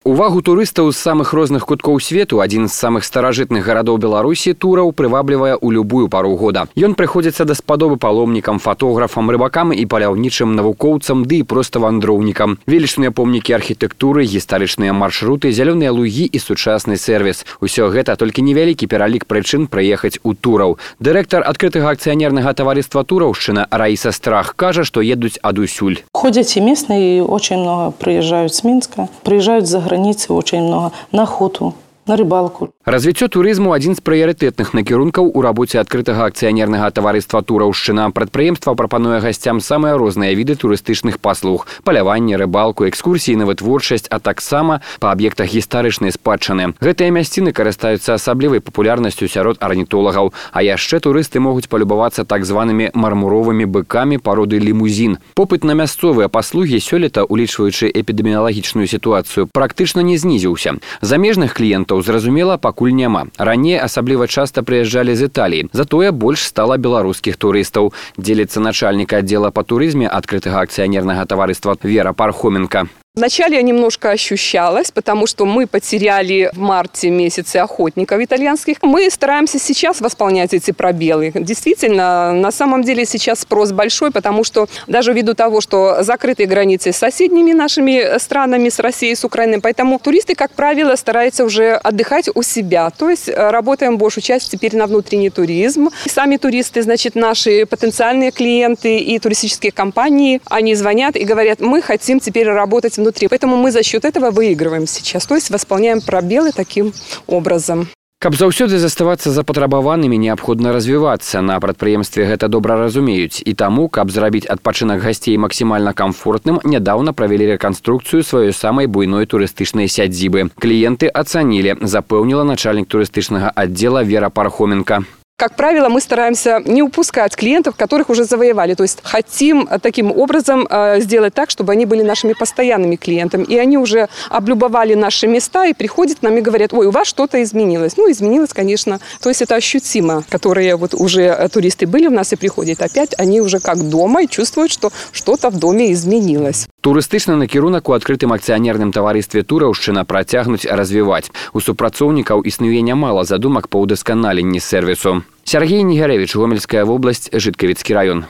Увагу турыстаў з самых розных куткоў свету адзін з самых старажытных гарадоў Беларусі тураў прываблівае ў любую пару года. Ён прыходзіцца даспадобы паломнікам, фатографам, рыбакам і паляўнічым навукоўцам, ды і проста вандроўнікам. Велічныя помнікі архітэктуры, гістарычныя маршруты, зялёныя лугі і сучасны сервіс. Усё гэта толькі невялікі пералік прычын прыехаць у тураў. Дырэктар адкрытага акцыянернага таварыства «Тураўшчына» Раіса Страх кажа, што едуць адусюль. Ходят и местные, и очень много приезжают с Минска, приезжают за границу очень много, на охоту, на рыбалку. Развіццё турызму адзін з прыярытэтных накірункаў у рабоце адкрытага акцыянернага таварыства «Тураўшчына». Прадпрыемства прапануе гасцям самыя розныя віды турыстычных паслуг: паляванне, рыбалку, экскурсіі на вытворчасць, а таксама па аб'ектах гістарычнай спадчыны. Гэтыя мясціны карыстаюцца асаблівай папулярнасцю сярод арнітолагаў. А яшчэ турысты могуць палюбавацца так званымі мармуровымі быкамі пароды лімузін. Попыт на мясцовыя паслугі сёлета, улічваючы эпідэміялагічную сітуацыю, практычна не знізіўся. Замежных кліентаў, зразумела, пакуль няма. Раней асабліва часта прыязджалі з Італіі. Затое больш стала беларускіх турыстаў. Дзеліцца начальнік аддзела па турызме адкрытага акцыянернага таварыства Вера Пархоменко. Вначале я немножко ощущалась, потому что мы потеряли в марте месяце охотников итальянских. Мы стараемся сейчас восполнять эти пробелы. Действительно, на самом деле сейчас спрос большой, потому что даже ввиду того, что закрыты границы с соседними нашими странами, с Россией, с Украиной, поэтому туристы, как правило, стараются уже отдыхать у себя. То есть работаем большую часть теперь на внутренний туризм. И сами туристы, значит, наши потенциальные клиенты и туристические компании, они звонят и говорят: мы хотим теперь работать внутри. Поэтому мы за счет этого выигрываем сейчас. То есть восполняем пробелы таким образом. Каб заўсёды заставацца запатрабаванымі, неабходна развівацца. На прадпрыемстве гэта добра разумеюць. І таму, каб зрабіць адпачынак гасцей максімальна камфортным, нядаўна правялі рэканструкцыю сваёй самай буйной турыстычнай сядзібы. Кліенты ацанілі, запэўніла начальнік турыстычнага аддзела Вера Пархоменко. Как правило, мы стараемся не упускать клиентов, которых уже завоевали. То есть хотим таким образом сделать так, чтобы они были нашими постоянными клиентами. И они уже облюбовали наши места и приходят к нам и говорят: ой, у вас что-то изменилось. Ну, изменилось, конечно. То есть это ощутимо. Которые вот уже туристы были у нас и приходят опять, они уже как дома и чувствуют, что что-то в доме изменилось. Турыстычны накірунак у адкрытым акцыянерным таварыстве «Тураўшчына» працягнуць развіваць. У супрацоўнікаў існуе нямала задумак па ўдасканаленні сервісу. Сергей Негарэвіч, Гомельская вобласць, Жыткавіцкі раён.